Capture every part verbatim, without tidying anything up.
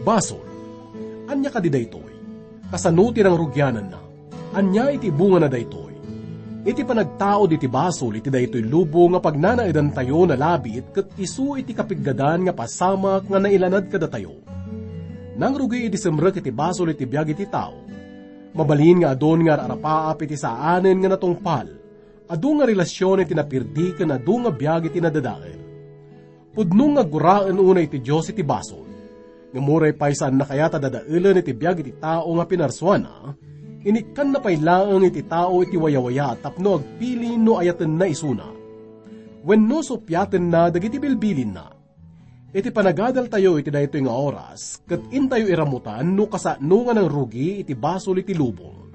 Basol. Ania kadi daytoy? Kasano ti nangrugiananna? Ania iti bungana daytoy? Iti panagtaud iti basol iti daytoy lubong nga pagnanaedantayo nalabit ket isu iti kapiggadan nga pasamak nga nailanad kadatayo. Nangrugi idi simrek iti basol iti biag iti tao. Mabalin nga adun nga ar-arapaap iti saanen nga natungpal. Adu nga relasion iti napirdi ken adu nga biag iti nadadael. Pudno nga guraen unay ti Dios iti basol. Ngem uray pay saanna kayat a dadaelen iti biag iti tao nga pinarsuana, inikkanna pay laeng iti tao iti wayawaya tapno agpili no ayatenna isuna. Wenno suppiatenna dagiti bilbilinna. Iti panagadaltayo iti daytoy nga oras, ket intayo iramutan no kasano nga nangrugi iti basol iti lubong.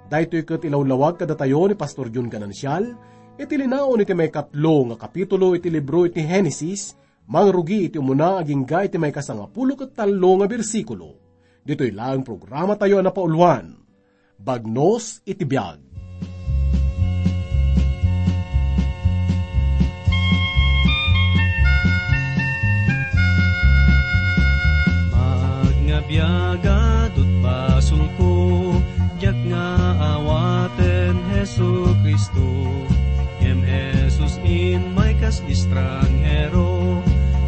Daytoy ket ilawlawag kadatayo ni Pastor Jun Ganancial, iti linaon iti maikatlo nga kapitulo iti libro iti Genesis, mangrugi iti umuna agingga iti maikasangapulo ket tallo nga bersikulo. Ditoy laeng programatayo a napauluan, Bagnos iti Biag. Maag nga biag, adut basolko, diak nga awaten Jesu-Cristo. Ngem Jesus immay kas estranghero,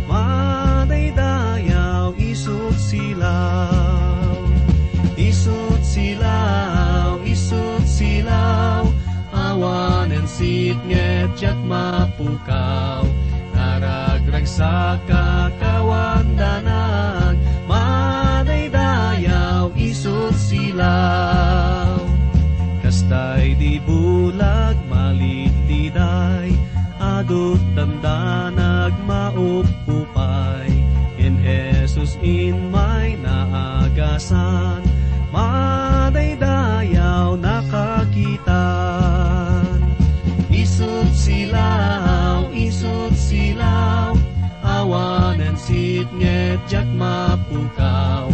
madaydayaw isut silaw. Isut silaw, isut silaw, awanen sitnget diak mapukaw. Naragragsakak awan danag, madaydayaw isut silaw. Kasta idi bulag malidliday, adut dandanag maupupay. Ngem Jesus immay naagasan, madaydayaw nakakitan. Isut silaw, isut silaw, awanen sitnget diak mapukaw.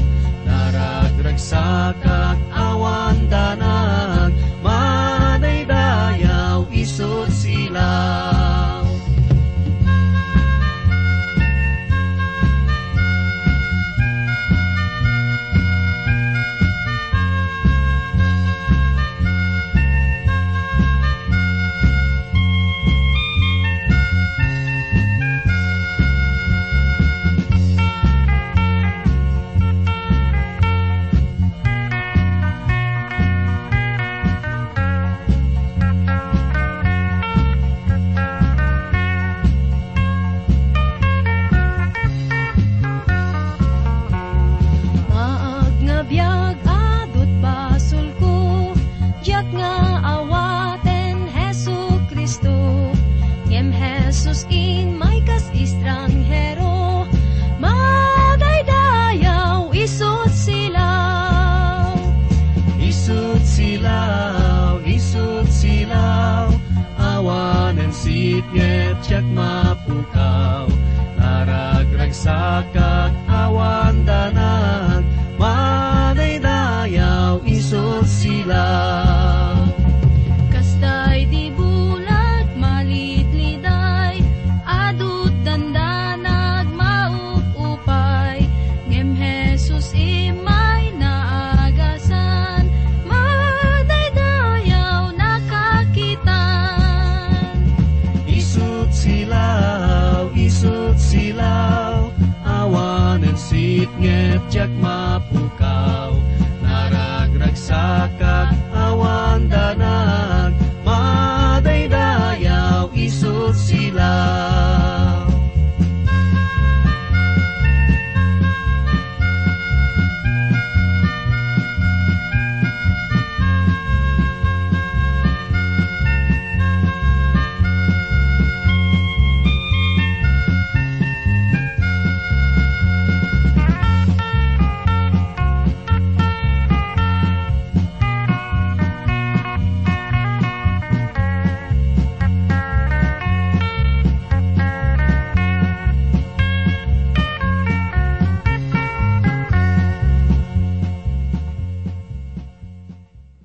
Naragragsakak awan danag, madaydayaw isut silaw. Maag nga biag, adut basolko, diak nga awaten Jesu-Cristo. Ngem Jesus immay kas estranghero, madaydayaw isut silaw. Isut silaw, isut silaw, awanen sitnget diak mapukaw. Naragragsakak awan danag, madaydayaw isut silaw. Kasta idi bulag malidliday, adut dandanag maup-upay. Ngem Jesus immay naagasan, madaydayaw nakakitan. Isut silaw, isut silaw, awanen sitnget diak mapukaw. Naragragsakak awan danag, madaydayaw isut silaw.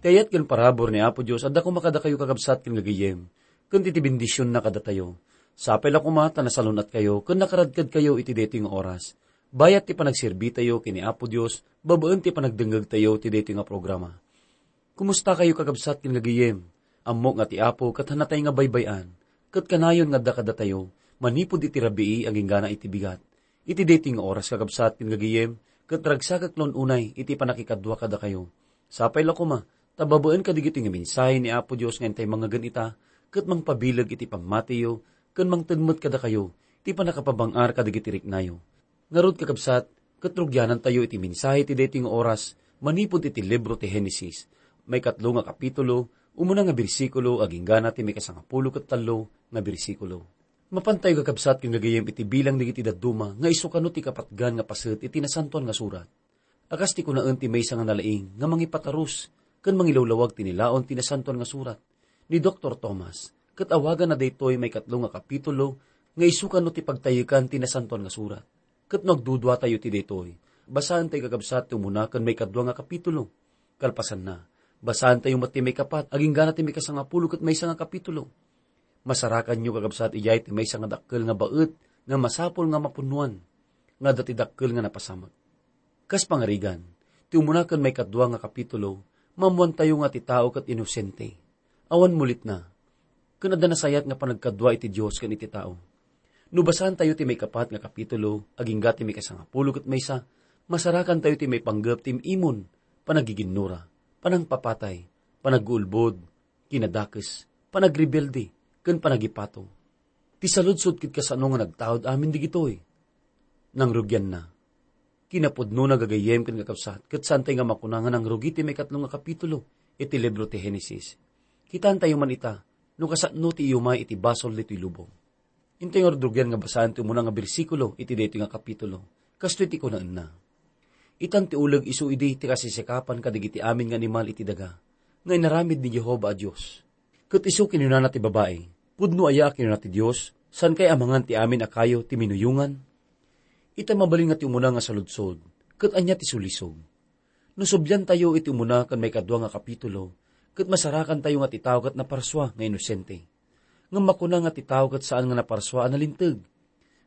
Ti ayat ken parabur ni Apo Dios adda koma kadakayo, kakabsat ken gagayyem, ken ti, ti bendisionna kadatayo. Sapay la koma ta nasalun-atkayo ken nakaradkadkayo iti daytoy nga oras. Bayat ti panagserbitayo ken ni Apo Dios babaen ti panagdengngegtayo ti daytoy nga programa. Kumustakayo, kakabsat ken gagayem? Ammok nga ti Apo ket hanatay nga baybay-an, ket kanayon nga adda kadatayo manipud iti rabii agingga iti bigat. Iti daytoy nga oras, kakabsat ken gagayem, ket ragsakek la unay iti pannakikadua kadakayo. Sapay la koma ta babaen kadagitoy nga mensahe ni Apo Dios nga intay mangngegan ita, ket mangpabileg iti pammatiyo ken mangted met kadakayo ti pannakapabang-ar kadagiti riknayo. Ngarud, kakabsat, ket rugianantayo iti mensahe ti daytoy nga oras manipud iti libro ti Genesis, maikatlo nga kapitulo, umuna nga bersikulo agingga ti maikasangapulo ket tallo nga bersikulo. Mapantayo, kakabsat ken gagayem, iti bilang dagiti dadduma nga isu kano ti kapatgan nga paset iti Nasantoan nga Surat. A kas ti kunaen ti maysa nga nalaing nga mangipatarus ken mangilawlawag ti nilaon ti Nasantoan nga Surat, ni Doktor Thomas, ket awaganna daytoy maikatlo nga kapitulo nga isu kano ti pagtayekan ti Nasantoan nga Surat. Ket no agduduatayo iti daytoy, basaentayo, kakabsat, ti umuna ken maikadua nga kapitulo. Kalpasanna, basaentayo met ti maikapat agingga ti maikasangapulo ket maysa nga kapitulo. Masarakanyo, kakabsat, idiay ti maysa nga dakkel nga baet nga masapul nga mapunnoan, nga adda ti dakkel nga napasamak. Kas pangarigan, ti umuna ken maikadua nga kapitulo, maammoantayo nga ti tao ket inosente, awan mulitna, ken adda nasayaat nga panagkadua iti Dios ken iti tao. No basaentayo ti maikapat nga kapitulo agingga ti maikasangapulo ket maysa, masarakantayo ti maipanggep ti im-imon, panagiginnura, panangpapatay, panagguulbod, kinadakes, panagrebelde, ken panagipato. Ti saludsod ket kasano nga nagtaud amin digitoy? Nangrugianna. Kinapudnona, gagayyem ken kakabsat, ket saantay nga makuna nga nangrugi ti maikatlo nga kapitulo iti libro ti Genesis. Kitaentayo man ita no kasano ti iyumay iti basol ditoy lubong. Intay nga rudrugian nga basaen ti umuna nga bersikulo iti daytoy nga kapitulo. Kastoy ti kunaenna: Itan ti uleg isu idi ti kasisikapan kadagiti amin nga animal iti daga nga inaramid ni Jehovah a Dios. Ket isu kinunana ti babai, "Pudno aya a kinuna ti Dios, 'Saankay a mangan ti amin a kayo ti minuyongan'?" Ita mabalin nga ti umuna nga saludsod, ket ania ti sulisog? No subliantayo iti umuna ken maikadua nga kapitulo, ket masarakantayo nga ti tao ket naparsua nga inosente. Ngem makuna nga ti tao ket saan nga naparsua a nalinteg.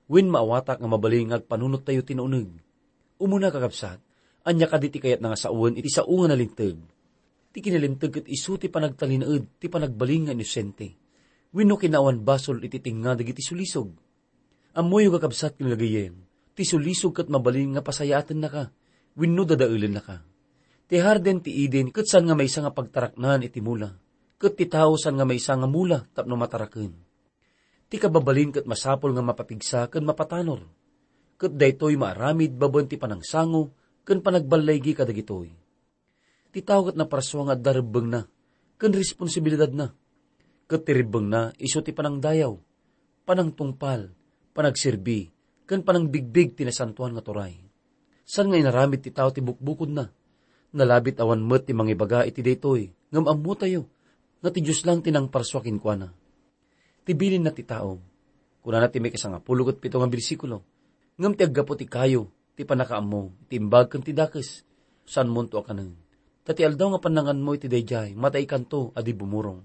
Wen maawatak nga mabalin nga agpanunottayo ti nauneg. Umuna, kakabsat, ania kadi ti kayatna nga sawen iti sao nga nalinteg? Ti kinalinteg ket isu ti panagtalinaed ti panagbalin nga inosente wenno kinaawan basol iti tengnga dagiti sulisog. Ammoyo, kakabsat ken gagayyem, ti sulisog ket mabalin nga pasayaatennaka wenno dadaelennaka. Ti hardin ti Eden ket saan nga maysa nga pagtaraknan iti mula, ket ti tao saan nga maysa nga mula tapno mataraken. Ti kababalin ket masapul nga mapapigsa ken mapatanor, ket daytoy maaramid babaen ti panangsango ken panagballaygi kadagitoy. Ti tao ket naparsua nga adda rebbengna ken responsibilidadna. Ket ti rebbengna isu ti panangdayaw, panangtungpal, panagserbi, ken panangbigbig ti nasantoan nga turay. Saan nga inaramid ti tao ti bukbukodna. Nalabit awan met ti mangibaga iti daytoy, ngem ammotayo nga ti Dios lang ti nangparsua kenkuana. Ti bilinna ti tao. Kunana ti maikasangapulo ket pito nga bersikulo, "Ngem ti aggapu ti kayo, ti pannakaammo, ti imbag ken ti dakes, saanmonto a kanen. Ta ti aldaw nga pannanganmo iti daydiay, mataykanto a di bumurong."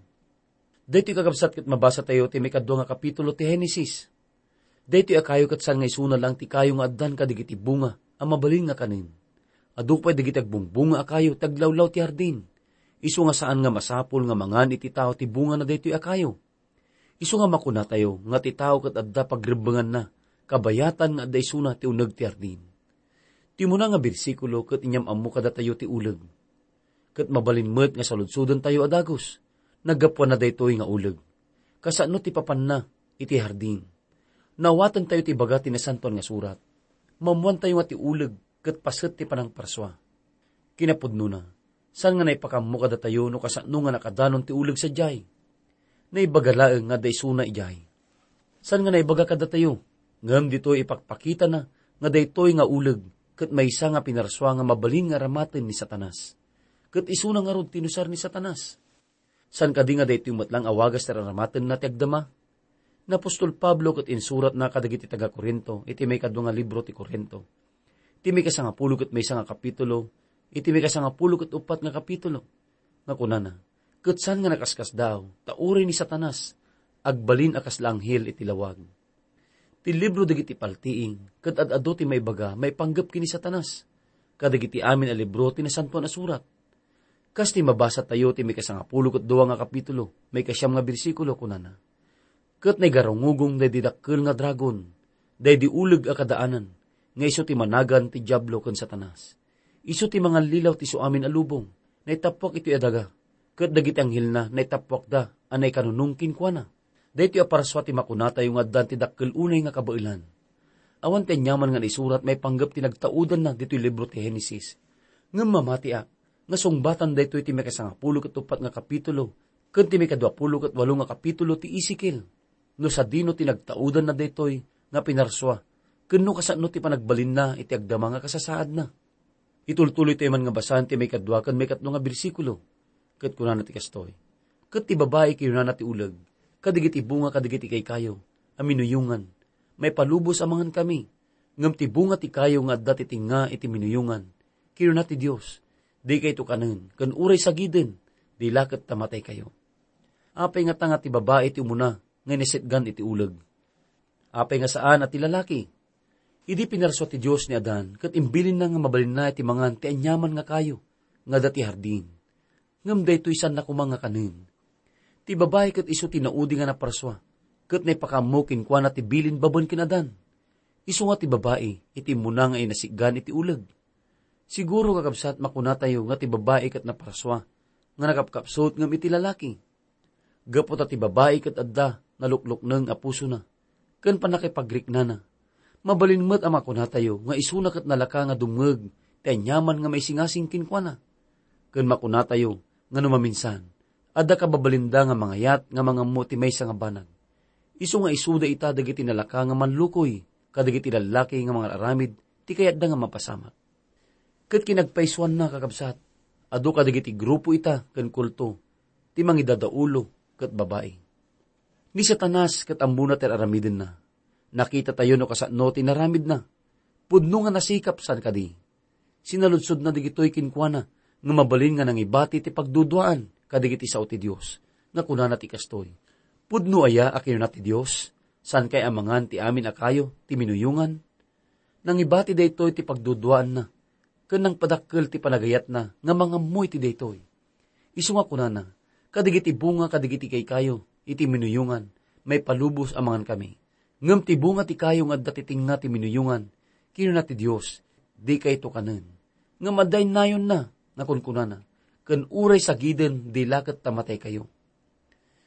Daytoy, kakabsat, ket mabasatayo ti maikadua nga kapitulo ti Genesis. Daytoy a kayo ket saan nga isuna lang ti kayo nga addan kadagiti bunga a mabalin nga kanen. Adu pay dagiti agbungbunga a kayo ti aglawlaw ti hardin. Isu nga saan nga masapul nga mangan iti tao ti bunga na daytoy a kayo. Isu nga makunatayo nga ti tao ket adda pagrebbenganna, kabayatan nga adda isuna ti uneg ti hardin. Ti umuna nga bersikulo ket inyam-ammo kadatayo ti uleg. Ket mabalin met nga saludsodentayo a dagus, naggapuanna daytoy nga uleg. Kasano ti papanna iti hardin? Naawatentayo ti ibaga ti Nasantoan nga Surat. Maammoantayo nga ti uleg ket paset ti panangparsua. Kinapudnona, saan nga naipakammo kadatayo no kasano nga nakadanon ti uleg sadiay? Naibaga laeng nga adda isuna idiay. Saan nga naibaga kadatayo? Ngem ditoy ipakpakitana nga daytoy nga uleg ket maysa nga pinarsua nga mabalin nga aramaten ni Satanas. Ket isuna ngarud ti inusar ni Satanas. Saan kadi nga daytoy met lang a wagas ti raramatenna ti agdama? Ni apostol Pablo ket insuratna kadagiti taga-Corinto iti maikadua nga libro ti Corinto, iti maikasangapulo ket maysa nga kapitulo, iti maikasangapulo ket uppat nga kapitulo, nga kunana, "Ket saan nga nakaskasdaaw, ta uray ni Satanas agbalin a kasla anghel iti lawag." Ti libro dagiti paltiing ket ad-adu ti maibaga maipanggep ken ni Satanas, kadagiti amin a libro ti Nasantoan a Surat. Kas ti mabasatayo ti maikasangapulo ket dua nga kapitulo, maikasiam nga bersikulo, kunana, "Ket naigarungugong daydi dakkel nga dragon, daydi uleg a kadaanan, nga isu ti managan ti Diablo ken Satanas. Isu ti mangallilaw ti isuamin a lubong, naitappuak itoy a daga, ket dagiti anghelna naitappuakda a naikanunong kenkuana." Daytoy a parsua ti makunatayo nga addan ti dakkel unay nga kabaelan. Awan ti aniaman nga naisurat maipanggep ti nagtaudanna ditoy libro ti Genesis. Ngem mamatiak nga sungbatan daytoy ti maikasangapulo ket uppat nga kapitulo ken ti maikaduapulo ket walo nga kapitulo ti Ezekiel. No sadino ti nagtaudanna daytoy nga pinarsua, ken no kasano ti panagbalinna iti agdama nga kasasaadna. Itultuloytayo man nga basaen ti maikadua ken maikatlo nga bersikulo, ket kunana ti kastoy, "Ket ti babai kinunana ti uleg, kadagiti bunga kadagiti kaykayo a minuyongan, maipalubos a mangankami. Ngem ti bunga ti kayo nga adda ti tengnga iti minuyongan, kinuna ti Dios, dikayto kanen, ken uray sagiden, di la ket ta mataykayo." Apay ngata nga ti babai ti umuna nga inasitgan iti uleg? Apay nga saan a ti lalaki? Idi pinarsua ti Dios ni Adan ket imbilinna nga mabalinna iti mangan ti aniaman nga kayo nga adda ti hardin, ngem daytoy saanna koma nga kanen. Ti babai ket isu ti naudi nga naparsua, ket naipakaammo kenkuana ti bilin babaen ken Adan. Isu nga ti babai iti immuna nga inasitgan iti uleg. Siguro, kakabsat, makunatayo nga ti babai ket naparsua nga nakapkapsut ngem iti lalaki. Gapu ta ti babai ket adda naluklukneng a pusona ken pannakapagriknana, mabalin met a makunatayo nga isuna ket nalaka nga dumngeg ti aniaman nga maisingasing kenkuana. Ken makunatayo nga no maminsan, adda kababalinda nga mangayat nga mangammo ti maysa nga banag. Isu nga isuda ita dagiti nalaka nga manlukoy kadagiti lallaki nga mangar-aramid ti kayatda nga mapasamak. Ket kinagpaysuanna, kakabsat, adu kadagiti grupo ita ken kulto ti mangidadaulo ket babai. Ni Satanas ket ammona ti ar-aramidenna. Nakitatayo no kasano ti inaramidna. Pudno nga nasikap, saan kadi? Sinaludsodna dagitoy kenkuana nga mabalin nga nangibati ti pagduduaan kadagiti sao ti Dios, nga kunana ti kastoy, "Pudno aya a kinuna ti Dios, 'Saankay a mangan ti amin a kayo ti minuyongan'?" Nangibati daytoy ti pagduduaanna, ken nangpadakkel ti panagayatna nga mangammo iti daytoy. Isu nga kunana, "Kadagiti bunga kadagiti kaykayo iti minuyongan, maipalubos a mangankami. Ngem ti bunga ti kayo nga adda ti tengnga ti minuyongan, kinuna ti Dios, 'Dikayto kanen.' Ngem adda innayonna nga kunkunana, 'Ken uray sagiden, di la ket ta mataykayo.'"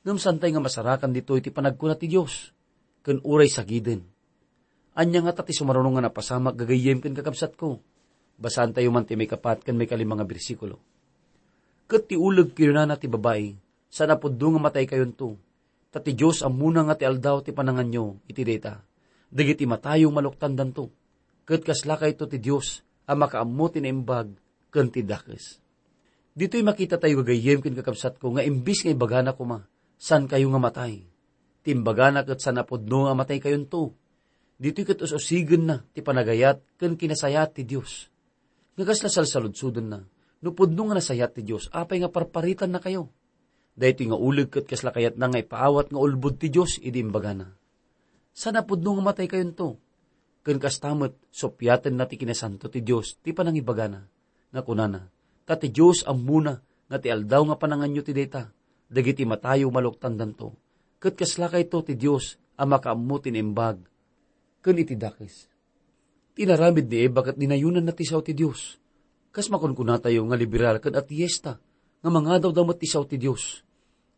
Ngem saantay nga masarakan ditoy ti panagkuna ti Dios, "Ken uray sagiden." Ania ngata ti sumaruno nga napasamak, gagayyem ken kakabsatko? Basaantayo man ti maikapat ken maikalima nga bersikulo. "Ket ti uleg," kinunana ti babai, "saan a pudno nga mataykayon to, ta ti Dios ammona nga ti aldaw ti pananganyo iti dayta. Dagiti matayo maluktandanto. Ket kaslakayto ti Dios a makaammo ti naimbag ken ti dakes." Ditoy makitatayo, gagayyem ken kakabsatko, nga imbis nga ibagana koma, "Saankayo nga matay," ti imbagana ket, "Saan a pudno a mataykayonto." Ditoy ket us-usigenna ti panagayat ken kinasayaat ti Dios. Nga kasla salsaludsodenna, no pudno nga nasayaat ti Dios, apay nga parparitannakayo? Daytoy nga uleg ket kasla kayatna nga ipaawat nga ulbod ti Dios idi imbagana, "Saan a pudno nga mataykayonto." Ken kasta met, suppiatenna ti kinasanto ti Dios ti panangibagana, nga kunana, "Ta ti Dios ammona nga ti aldaw nga pananganyo ti dayta, dagiti matayo maluktandanto. Ket kaslakayto ti Dios a makaammo ti naimbag ken iti dakes." Ti inaramid ni Eva ket dinayonanna ti sao ti Dios. Kas makunkunatayo nga liberal ken ateista, nga mangadawda met ti sao ti Dios.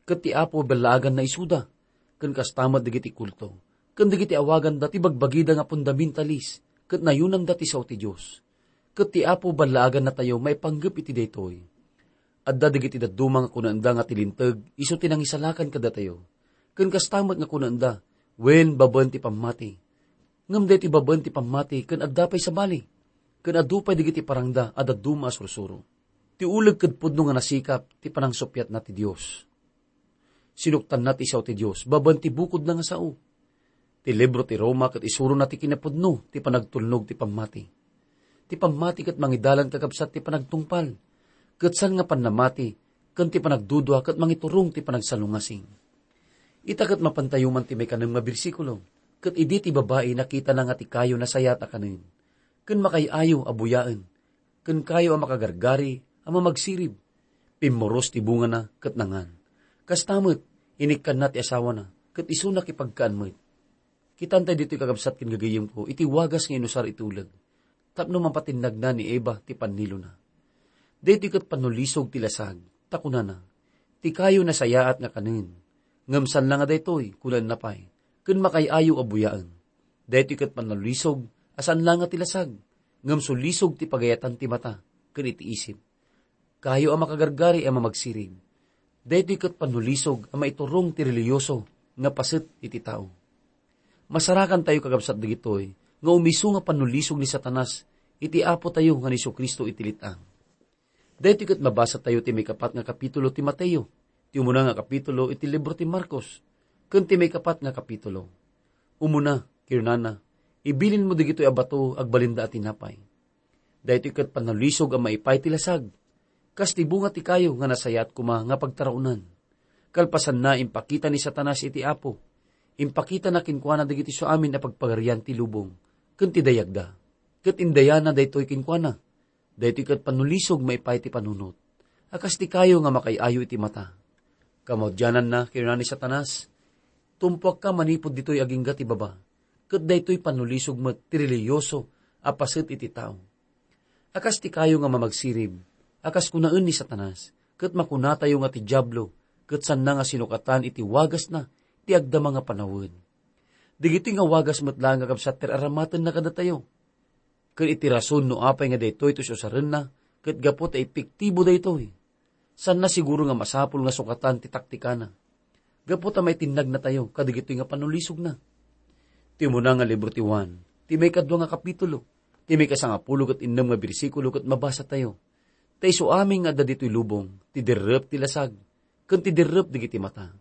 Ket ti Apo ballaaganna isuda, ken kasta met dagiti kulto, ken dagiti awaganda ti bagbagida nga fundamentalis, ket nayonanda ti sao ti Dios. Ket ti Apo ballaagannatayo maipanggep iti daytoy. Adda dagiti dadduma nga kunaenda nga ti Linteg isu ti nangisalakan kadatayo. Ken kasta met nga kunaenda, wen babaen ti pammati. Ngem daytoy babaen ti pammati ken adda pay sabali, ken adu pay dagiti parangda a dadduma a sursuro. Ti uleg ket pudno nga nasikap ti panangsuppiatna ti Dios. Sinuktanna ti sao ti Dios babaen ti bukodna nga sao. Ti libro ti Roma ket isurona ti kinapudno ti panagtulnog ti pammati. Ti pammati ket mangidalan, kakabsat, ti panagtungpal, ket saan nga pannamati ken ti panagdudua ket mangiturong ti panagsalungasing. Ita ket mapantayo man ti maikanem nga bersikulo. Ket idi ti babai nakitana nga ti kayo nasayaat a kanen, ken makaay-ayo a buyaen, ken kayo a makagargari a mamagsirib, pimmuros ti bungana ket nangan. Kasta met, inikkanna ti asawana, ket isu nakipagkaan met. Kitantay ditoy, kakabsat ken gagayyemko, iti wagas nga inusar iti uleg tapno mapatinnagna ni Eva ti pannilona. Daytoy ket pannulisog ti lasag, ta kunana, "Ti kayo nasayaat nga kanen, ngem saan la nga daytoy," kunaenna pay, "ken makaay-ayo a buyaen." Daytoy ket pannulisog a saan la nga ti lasag, ngem sulisog ti pagayatan ti mata ken iti isip. Kayo a makagargari a mamagsirib. Daytoy ket pannulisog a maiturong ti relihiyoso nga paset iti tao. Masarakantayo, kakabsat, dagitoy nga umisu nga pannulisog ni Satanas iti Apotayo nga ni Jesu-Cristo iti let-ang. Daytoy ket mabasatayo ti maikapat nga kapitulo ti Mateo, ti umuna nga kapitulo iti libro ti Marcos, ken ti maikapat nga kapitulo. Umuna, kinunana, "Ibilinmo dagitoy a bato agbalinda a tinapay." Daytoy ket pannulisog a maipay ti lasag, kas ti bunga ti kayo nga nasayaat koma nga pagtaraonan. Kalpasanna, impakita ni Satanas iti Apo. Impakitana kenkuana dagiti suamin a pagpagarian ti lubong ken ti dayagda. Ket indayana daytoy kenkuana. Daytoy ket pannulisog maipay ti panunot, a kas ti kayo nga makaay-ayo iti mata. Kamaudiananna, kinuna ni Satanas, "Tumpuakka manipud ditoy agingga ti baba." Ket daytoy pannulisog met ti relihiyoso a paset iti tao. A kas ti kayo nga mamagsirib, a kas kunaen ni Satanas, ket makunatayo nga ti Diablo, ket saanna nga sinukatan iti wagasna ti agdama nga panawen. Dagitoy nga wagas met laeng, kakabsat, ti ar-aramatenna kadatayo. Ket iti rason no apay nga daytoy ti usarenna, ket gapu ta epektibo daytoy, saanna siguro nga masapul nga sukatan ti taktikana. Gapu ta maitinnagna tayo kadagitoy nga pannulisogna. Ti umuna nga libro ti Juan, ti maikadua nga kapitulo, ti maikasangapulo ket innem nga bersikulo ket mabasa tayo. Ta isu amin nga adda ditoy lubong, ti derrep ti lasag, ken ti derrep dagiti mata,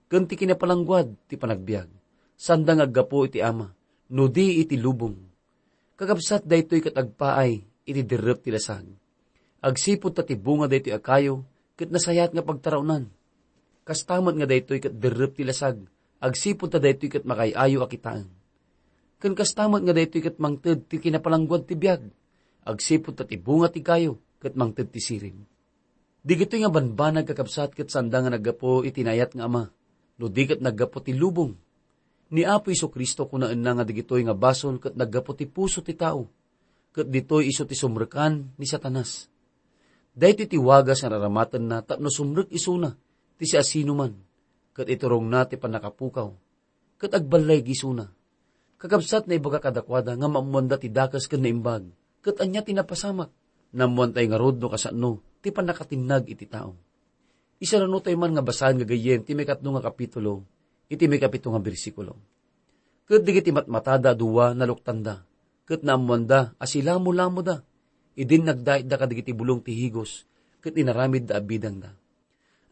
ken ti kinapalangguad ti panagbiag, sanda nga aggapu iti Ama, no di iti lubong. Kakabsat, daytoy ket agpaay iti derrep ti lasag. Agsipud ta ti bunga daytoy a kayo ket nasayaat nga pagtaraonan. Kasta met nga daytoy ket derrep ti lasag, agsipud ta daytoy ket makaay-ayo a kitaen. Ken kasta met nga daytoy ket mangted ti kinapalangguad ti biag, agsipud ta ti bunga ti kayo ket mangted ti sirib. Digitoy nga banbanag, kakabsat, ket sanda nga naggapu iti naayat nga ama, no di ket naggapu ti lubong. Ni Apo Jesu-Cristo kunaenna nga digitoy nga basol ket naggapu ti puso ti tao, ket ditoy isu ti sumrekan ni Satanas. Daytoy ti wagas nga raramatenna tapno sumrek isuna ti siasinoman, ket iturongna ti pannakapukaw, ket agballayag isuna. Kakabsat, naibaga kadakuada nga maammoanda ti dakes ken naimbag, ket ania ti napasamak? Naammoantay ngarud no kasano ti pannakatinnag iti tao. Isarunotayo man nga basaen gagayyem ti maikatlo nga kapitulo, iti maikapito nga bersikulo. Ket dagiti matmatada a dua, naluktanda, ket naammoanda a silamo-lamoda. Idin nagdaitda kadagiti bulong ti higos, ket inaramidda a bidangda.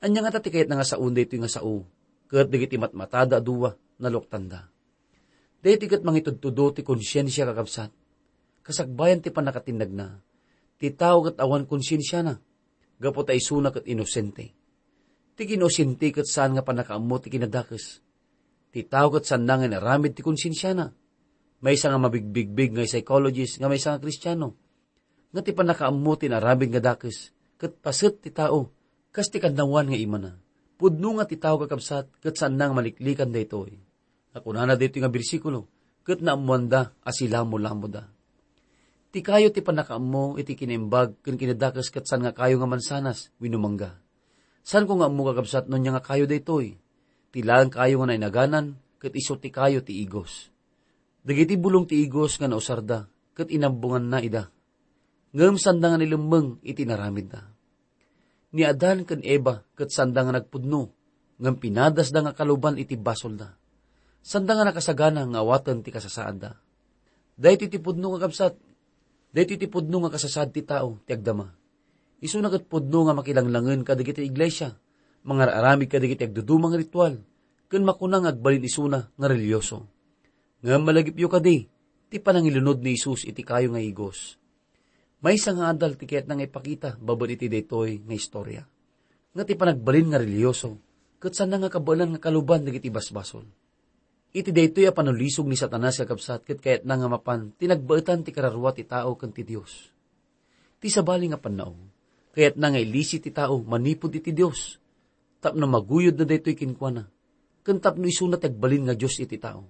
Ania ngata ti kayatna nga saon daytoy nga sao? Ket dagiti matmatada a dua, naluktanda. Daytoy ket mangitudtudo ti konsiensia, kakabsat. Kasakbayan ti pannakatinnagna, ti tao ket awan konsiensiana, gapu ta isuna ket inosente. Ti inosente ket saan nga pannakaammo ti kinadakes. Ti tao ket saanna nga inaramid ti konsiensiana. Maysa nga mabigbigbig nga psychologist nga maysa nga Kristiano, nga ti pannakaammo ti inaramid nga dakes ket paset ti tao, kas ti kannawan nga imana. Pudno nga ti tao, kakabsat, ket saanna nga maliklikan daytoy. Nga kunana daytoy nga bersikulo, ket naammoanda a silamo-lamoda. Ti kayo ti pannakaammo iti kinaimbag ken kinadakes ket saan nga kayo nga mansanas wenno mangga. Saanko nga ammo, kakabsat, no ania nga kayo daytoy. Ti laeng kayo nga nainaganan ket isu ti kayo ti igos. Dagiti bulong ti igos nga nausarda ket inambonganna ida. Ngem sanda nga nilemmeng iti inaramidda. Ni Adan ken Eva ket sanda nga nagpudno, ngem pinadasda nga kaluban iti basolda. Sanda nga nakasagana nga awaten ti kasasaadda. Daytoy ti pudno nga kabsat. Daytoy ti pudno nga kasasaad ti tao ti agdama. Isuna ket pudno nga makilanglangen kadagiti iglesia, mangar-aramid kadagiti agduduma nga ritual, ken makuna nga agbalin isuna nga reliyoso. Ngem malagipyo kadi ti panangilunod ni Jesus iti kayo nga igos. Maysa nga adal ti kayatna nga ipakita babaen iti daytoy nga istorya, nga ti panagbalin nga reliyoso ket saan nga kabaelan nga kaluban dagiti basbasol. Iti daytoy a panulisog ni Satanas, kakabsat, ket kayatna nga mapan ti nagbaetan ti kararua ti tao ken ti Dios. Ti sabali nga pannao, kayatna nga ilisi ti tao manipud iti Dios, tapno maguyodna daytoy kenkuana, ken tapno isuna ti agbalin nga Dios iti tao.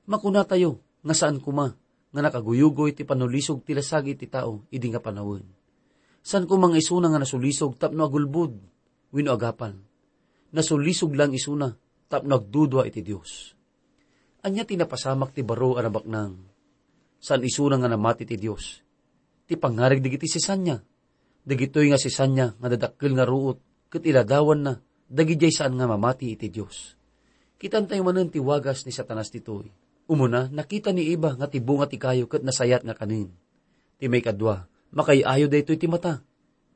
Makunatayo nga saan koma nga nakaguyugoy ti panulisog ti lasagi iti tao idi nga panawen. Saan koma nga isuna nga nasulisog tapno agulbod wenno agapal. Nasulisog lang isuna tapno agdudua iti Dios. Ania ti napasamak ti baro a nabaknang? Saan isuna nga namati ti Dios. Ti pangngarig dagiti sisanya, dagitoy nga sisanya nga dadakkel nga ruot ket iladawanna dagidiay saan nga mamati iti Dios. Kitantayo manen ti wagas ni Satanas ditoy. Umuna, nakita ni Eva nga ti bunga ti kayo ket nasayaat nga kanen. Ti maikadua, makaay-ayo daytoy ti mata.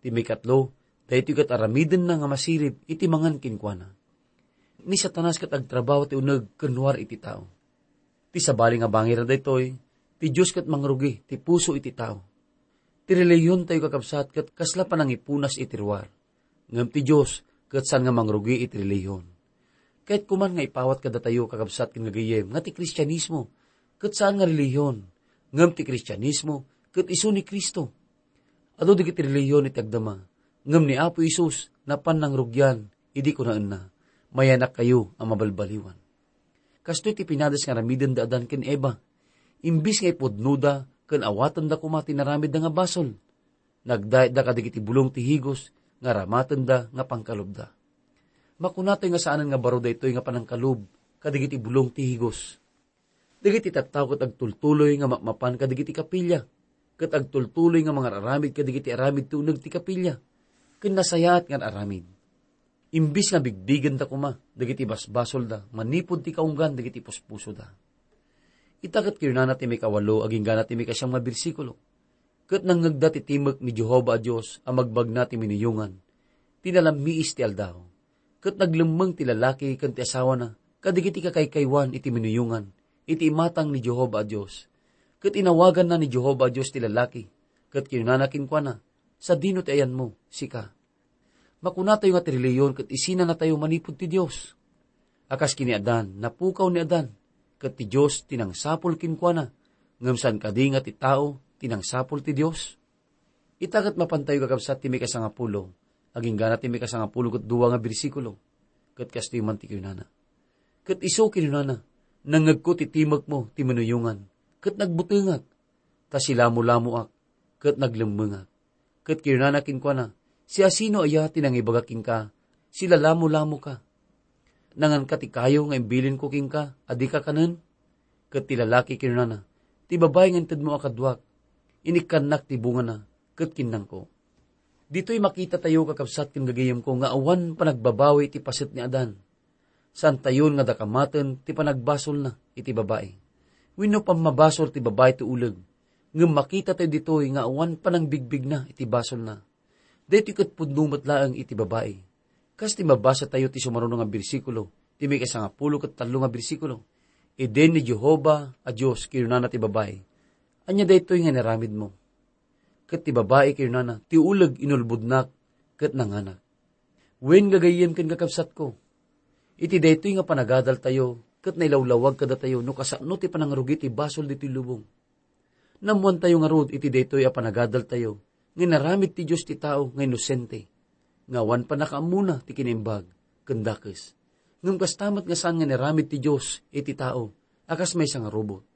Ti maikatlo, daytoy ket aramidenna nga masirib iti mangan kenkuana. Ni Satanas ket agtrabaho ti uneg ken ruar iti tao. Ti sabali nga bangir daytoy, ti Dios ket mangrugi ti puso iti tao. Ti relihiontayo, kakabsat, ket kasla panangipunas iti ruar. Ngem ti Dios ket saan nga mangrugi iti relihion. Kayatko man nga ipawat kadatayo, kakabsat ken gagayyem, nga ti Kristianismo ket saan nga relihion, ngem ti Kristianismo ket isu ni Cristo. Adu dagiti relihion iti agdama, ngem ni Apo Jesus napan nangrugian idi kunaenna, "Mayanakkayo a mabalbaliwan." Kastoy ti pinades nga aramiden da Adan ken Eva. Imbis nga ipudnoda ken awatenda koma ti naramidda nga basol, nagdayatda kadagiti bulong ti higos nga aramatenda nga pangkalubda. Makunatoy nga saanen nga baro daytoy nga panangkalub kadagiti bulong ti higos. Dagiti tattao ket agtultuloy nga mapmapan kadagiti kapilya, ket agtultuloy nga mangararamid kadagiti aramid ti uneg ti kapilya, ken nasayaat nga aramid. Imbis nga bigbigenda koma dagiti basbasolda manipud ti kaunggan dagiti puspusoda. Ita ket kinunana ti maikawalo agingga ti maikasiam nga bersikulo, "Ket nangngegda ti timek ni Jehovah a Dios a magbagna ti minuyongan, ti nalammiis ti aldaw. Ket naglemmeng ti lalaki ken ti asawana kadagiti kakaykaywan iti minuyongan iti imatang ni Jehovah a Dios. Ket inawaganna ni Jehovah a Dios ti lalaki, ket kinunana kenkuana, 'Sadino ti ayanmo, sika?'" Makunatayo nga ti relihion ket isinanatayo manipud ti Dios. A kas ken ni Adan, napukaw ni Adan, ket ti Dios ti nangsapul kenkuana, ngem saan kadi nga ti tao ti nangsapul ti Dios? Ita ket mapantayo, kakabsat, ti maikasangapulo, agingga ti maikasangapulo ket dua nga bersikulo, ket kastoy man ti kinunana. Ket isu kinunana, "Nangngegko ti timekmo ti minuyongan, ket nagbutengak, ta silamolamoak, ket naglemmengak." Ket kinunana kenkuana, "Siasino aya ti nangibaga kenka, 'Silalamolamoka'? Nanganka ti kayo nga imbilinko kenka a dika kanen?" Ket ti lalaki kinunana, "Ti babai nga intedmo a kaduak, inikkannak ti bungana, ket kinnanko." Ditoy makitatayo, kakabsat ken gagayyemko, nga awan panagbabawi iti paset ni Adan. Saantayon nga dakamaten ti panagbasolna iti babai. Wenno pammabasol ti babai ti uleg, ngem makitatayo ditoy nga awan panangbigbigna iti basolna. Daytoy ket pudno met laeng iti babai. Kas ti mabasatayo ti sumaruno nga bersikulo, ti maikasangapulo ket tallo nga bersikulo, "Idin ni Jehovah a Dios kinunana ti babai, 'Ania daytoy nga inaramidmo?' Ket ti babai kinunana, 'Ti uleg inulbodnak ket nanganak.'" Wen, gagayyem ken kakabsatko, iti daytoy nga panagadaltayo ket nailawlawag kadatayo no kasano ti panangrugi ti basol ditoy lubong. Naammoantayo ngarud iti daytoy a panagadaltayo nga inaramid ti Dios ti tao nga inosente, nga awan pannakaammona ti kinaimbag ken dakes. Ngem kasta met nga saan nga inaramid ti Dios iti tao a kas maysa nga robot.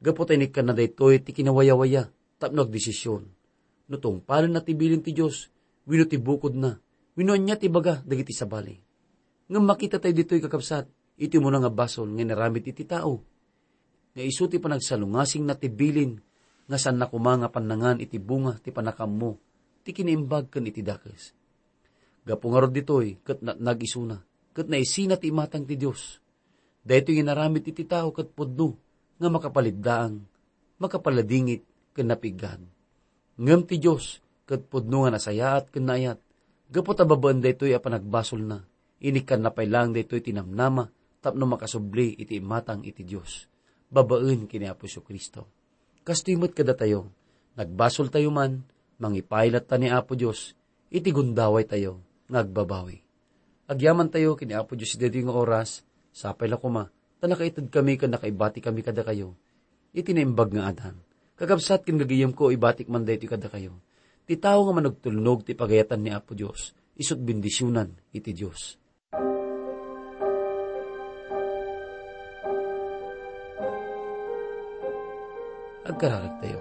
Gapu ta inikkanna daytoy ti kinawayawaya tapno agdesision no tungpalenna ti bilin ti Dios wenno ti bukodna, wenno ania ti ibaga dagiti sabali. Ngem makitatayo ditoy, kakabsat, iti umuna nga basol nga inaramid iti tao, nga isu ti panagsalungasingna ti bilin nga saanna koma nga pannangan iti bunga ti pannakaammo ti kinaimbag ken iti dakes. Gapu ngarud ditoy ket natnag isuna, ket naisina ti imatang ti Dios. Daytoy nga inaramid iti tao ket pudno nga makapaliddaang, makapaladingit, ken napiggad. Ngem ti Dios ket pudno nga nasayaat ken naayat, gapu ta babaen daytoy a panagbasolna, inikkanna pay laeng daytoy ti namnama tapno makasubli iti imatang iti Dios, babaen ken ni Apo Jesu-Cristo. Kastoy met kadatayo, nagbasoltayo man, mangipailatta ni Apo Dios iti gundawaytayo nga agbabawi. Agyamantayo ken ni Apo Dios iti daytoy nga oras, sapay la koma ta nakaitedkami ken nakaibatikami kadakayo iti naimbag nga adan. Kakabsat ken gagayemko, ibatik man daytoy kadakayo. Ti tao nga manugtulnog ti pagayatan ni Apo Dios, isu't bendisionan iti Dios. Agkararagtayo.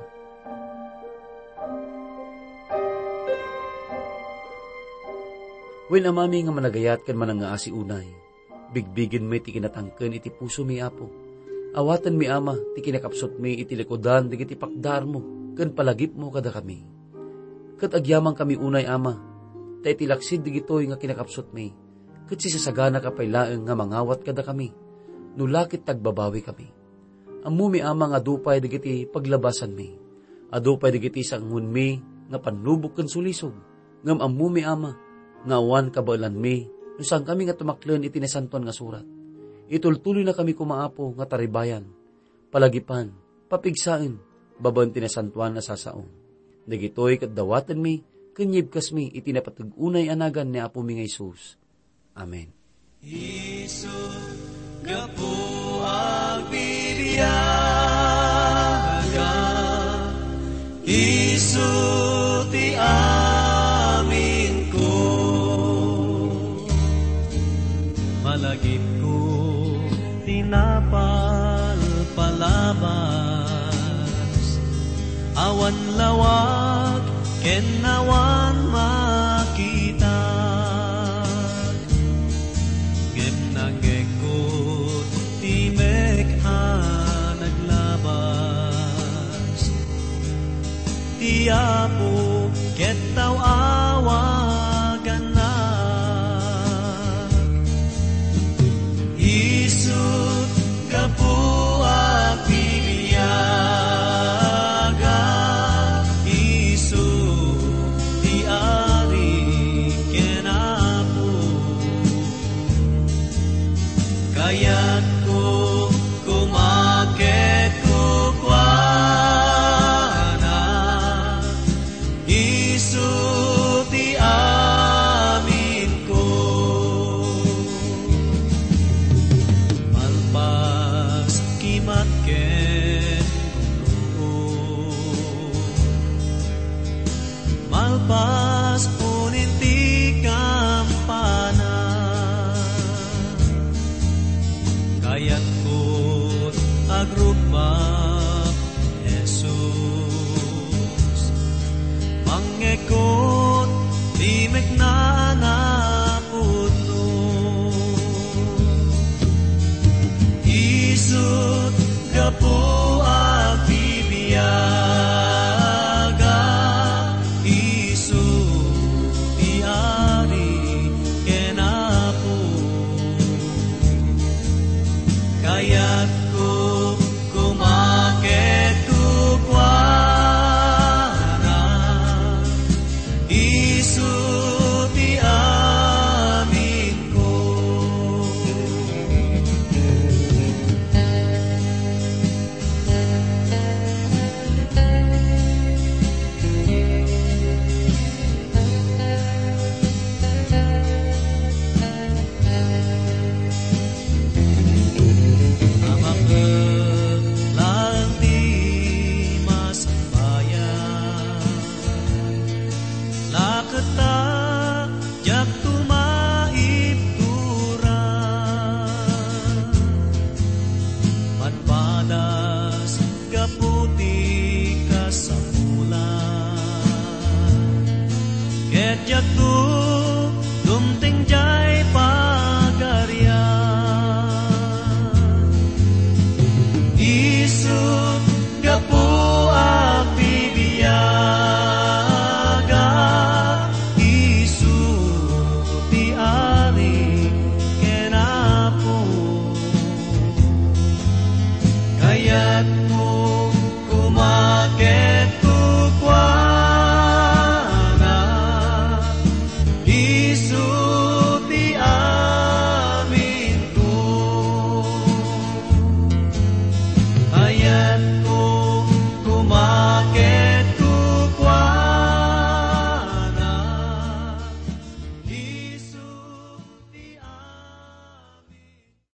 Wen, Amami nga managayat ken manangngaasi unay, bigbigenmi ti kinatangken iti pusomi, Apo. Awatenmi, Ama, ti kinakapsutmi iti likudan dagiti pakdarmo ken palagipmo kadakami. Ket agyamankami unay, Ama, ta iti laksid dagitoy nga kinakapsutmi, ket sisasaganaka pay laeng nga mangawat kadakami, no la ket agbabawikami. Ammomi, Ama, nga adu pay dagiti paglabasanmi. Adu pay dagiti sanguenmi nga pannubok ken sulisog. Ngem ammomi, Ama, nga awan kabaelanmi no saankami nga tumaklen iti Nasantoan nga Surat. Itultuloynakami koma, Apo, nga taribayan, palagipan, papigsaen babaen ti nasantoan a sasao. Dagitoy ket dawatenmi ken yibkasmi iti napateg unay a nagan ni Apomi nga Jesus. Amen. Isu gapu agbibiaga, isu ti aminko. Malagipko ti napalpalabas, awan lawag ken awan makita. Ngem nangngegko ti mek a naglabas. Ti Apo ket awagannak. Isu gapu a bibiaga, isu ti Ari ken Apo. Kayatko koma ket kukuana, isu ti aminko. Malpas kimat ken gumruo. Malpas punin ti kampana, kayatko agrukbab, Jesus. Mangngegko ti mekna a napudno. Isu gapu a bibiaga, isu ti Ari ken Apo. Kayatko koma ket kukuana, isu ti aminko. Amak laeng ti masbayan, laketta diakto maibtura. Padpadas gapu ti kasapulan, ket diakto dumteng diay pagarian. Isu gapu a bibiaga, isu ti Ari ken Apo.